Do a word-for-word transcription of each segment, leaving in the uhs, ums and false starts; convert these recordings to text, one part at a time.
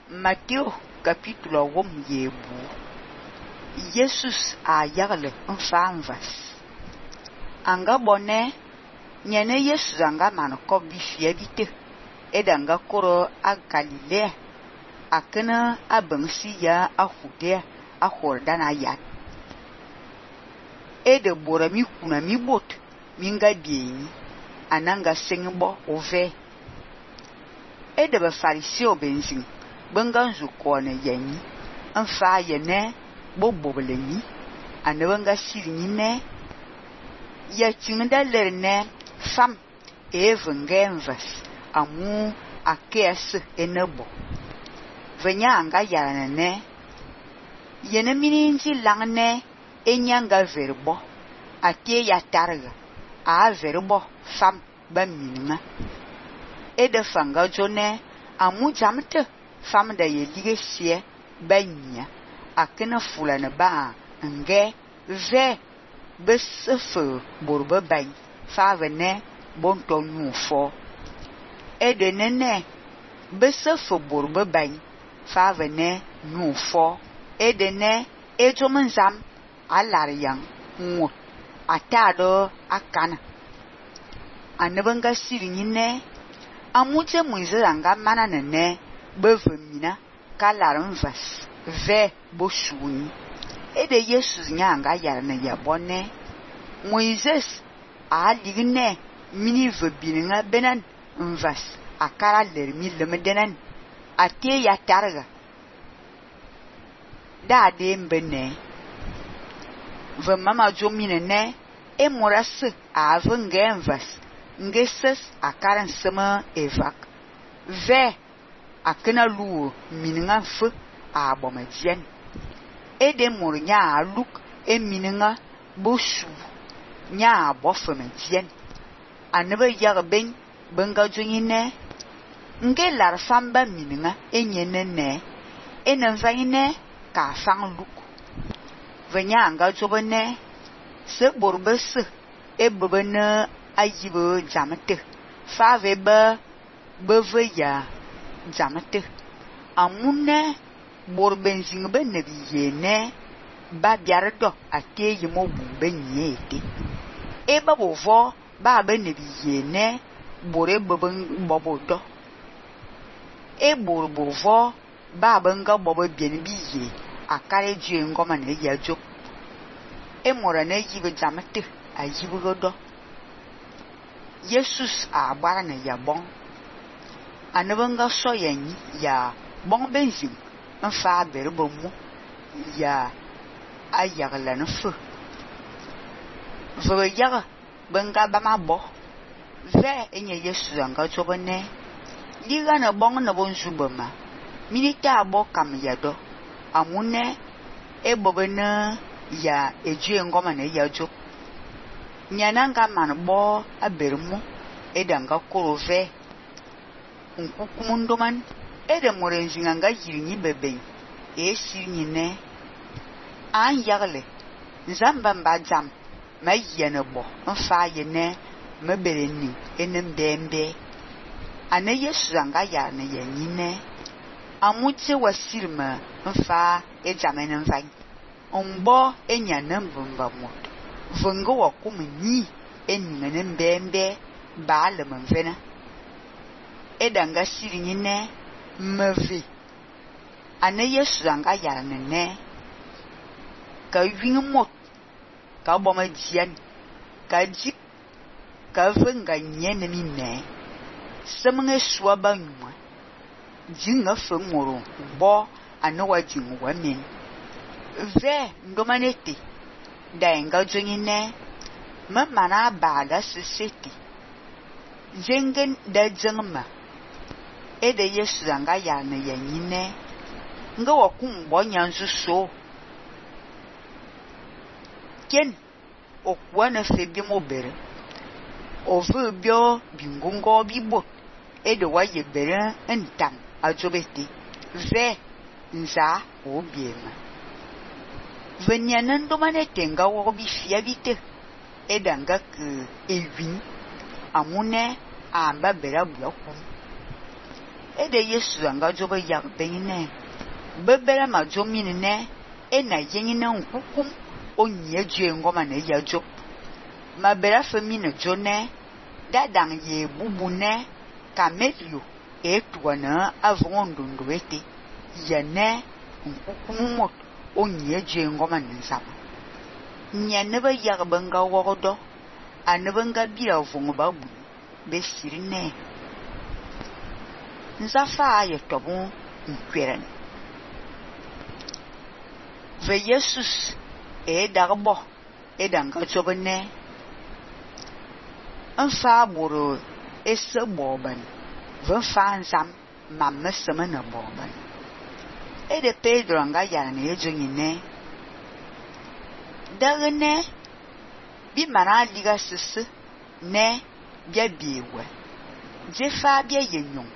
Matteo capítulo wom yebu. Jesus a yagle nfanvas. Anga bonne nyene Jesus anga man ko bi fiabite edanga koro a Galilea akena abansi ya ahude a Hordana ya. Ede bora mi kuna mi bot minga bieni ananga sengbo ove. Ede ba fariseo benzin bengan zukone yenyi nfa yene bobobeleni anabanga sirini ne ya chinda lerne fam evengenvas amu akes enebo venya anga yarana ne yene mininzi langne enyanga verbo ate ya targa a verbo fam ba minna ede fanga jone amu jamte fam da ye lige sie banya akena fulana ba nge ve besefo borba bay fa vene bonto nufo ede nene besefo borba bay fa vene nufo ede ne ejomunzam alar yang ngut atado akana anabanga sirinine amuje muizanga mana nene bevemina kalaram vas ve boshuni ede Jesus nyanga yarana yabone Moises a ligne mini vebininga benan vas akara lermi lemedenan ate ya targa da de mbene ve mama jomine ne e moras a vengen vas ngeses akaran sema evak ve akena luo mininga fe a bomedien ede mor nya luk e mininga boshu nya bofemedien anebe yag ben benga jonyine nge lar famba mininga enyene ne enenvaine ka fang luk venya anga jobene se borbes e bebene ayibo jamete fa veba beveya jamete amune borbenzing be nebiye ne ba biardo ate yimo bumbe nyete e babo vo ba be nebiye ne bore beben bobodo e borbo vo ba benga bobo bien biye akare ji ngoma ne yajo e mora na yibe jamete ayibo godo Jesus a bara na yabon anabanga so yanyi ya bon benzin nfa berbo mu ya ayagla no fu zo yaga benga ba mabo ve enye Jesus anga chobone diga na bon na bon zubama milita abo kam yado amune e bobena ya eje ngoma na yajo nyananga manbo abermu edanga korove nkukumundoman ede morenzinga nga yirinyi bebe e sinyine an yagle nzamba mbajam mayene bo mfa yene mebereni enem dembe ane Yesu anga ya ne yenyine amuche wasirma mfa ejamene mfa ombo enyana mbumba moto vongo wakumni eningene mbembe baale mvena edanga sirinyine mave ane Yesu anga yarane ne ka wingmot ka boma jian ka jip ka venga nyene ni ne semnge swaba nyuma jinga fengoro bo ane wajingu wamin ve ndomanete daenga jonyine mamana bada siseti jengen da jengma ede Yesu anga yarane yanyine nga wakum bonyanzu so ken okwana febi mobere ovu bio bingungo bibo ede waye bere entam ajobeti ve nza obiema venyanan domanete nga wo bifiabite edanga ke ewin amune amba bera bulaku e de Yesu anga jobe yak benine bebere ma jomine ne e na yengine nkukum onye due ngoma ne ya jo ma bera femine jone dadang ye bubune kamelio e tuana avon ndondo ete yene nkukum mot onye due ngoma ne nsama nya ne ba yak banga wogodo anebanga bia vongo babu be sirine nzafa ye tobu nkweren ve Jesus e dagbo e danga chobene nfa buru ese boban ve fa nzam mamme semena boban e de Pedro anga yana ne ejonyine dagene bi mana liga sisi ne bia biwe jefa bia yenyon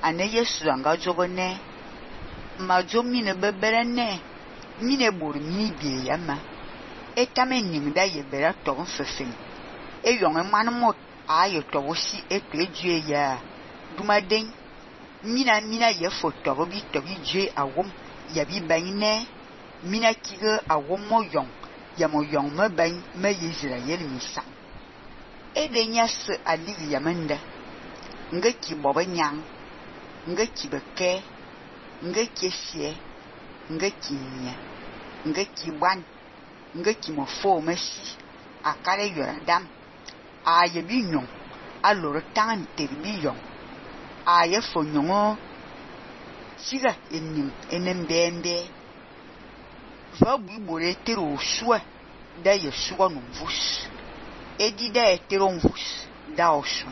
ane Yesu anga jogone ma jomine bebere ne mine bor mi bie yama etame nimda ye bera to fefin e yon manmot ayo to wosi eto ejue ya dumaden mina mina ye foto bi to bi je awom ya bi banine mina kiga awom mo yon ya mo yon me ban me Israel misa e de nyas ali yamanda nga ki boba nyang nga ki beke nga kesie nga kinya nga ki ban nga ki mo fo mesi akare yora dam aye bi nyon aloro tan terbi yon aye fo nyongo siga enim enembembe va bu bore tero swa da ye swa no vus edi da tero vus da osu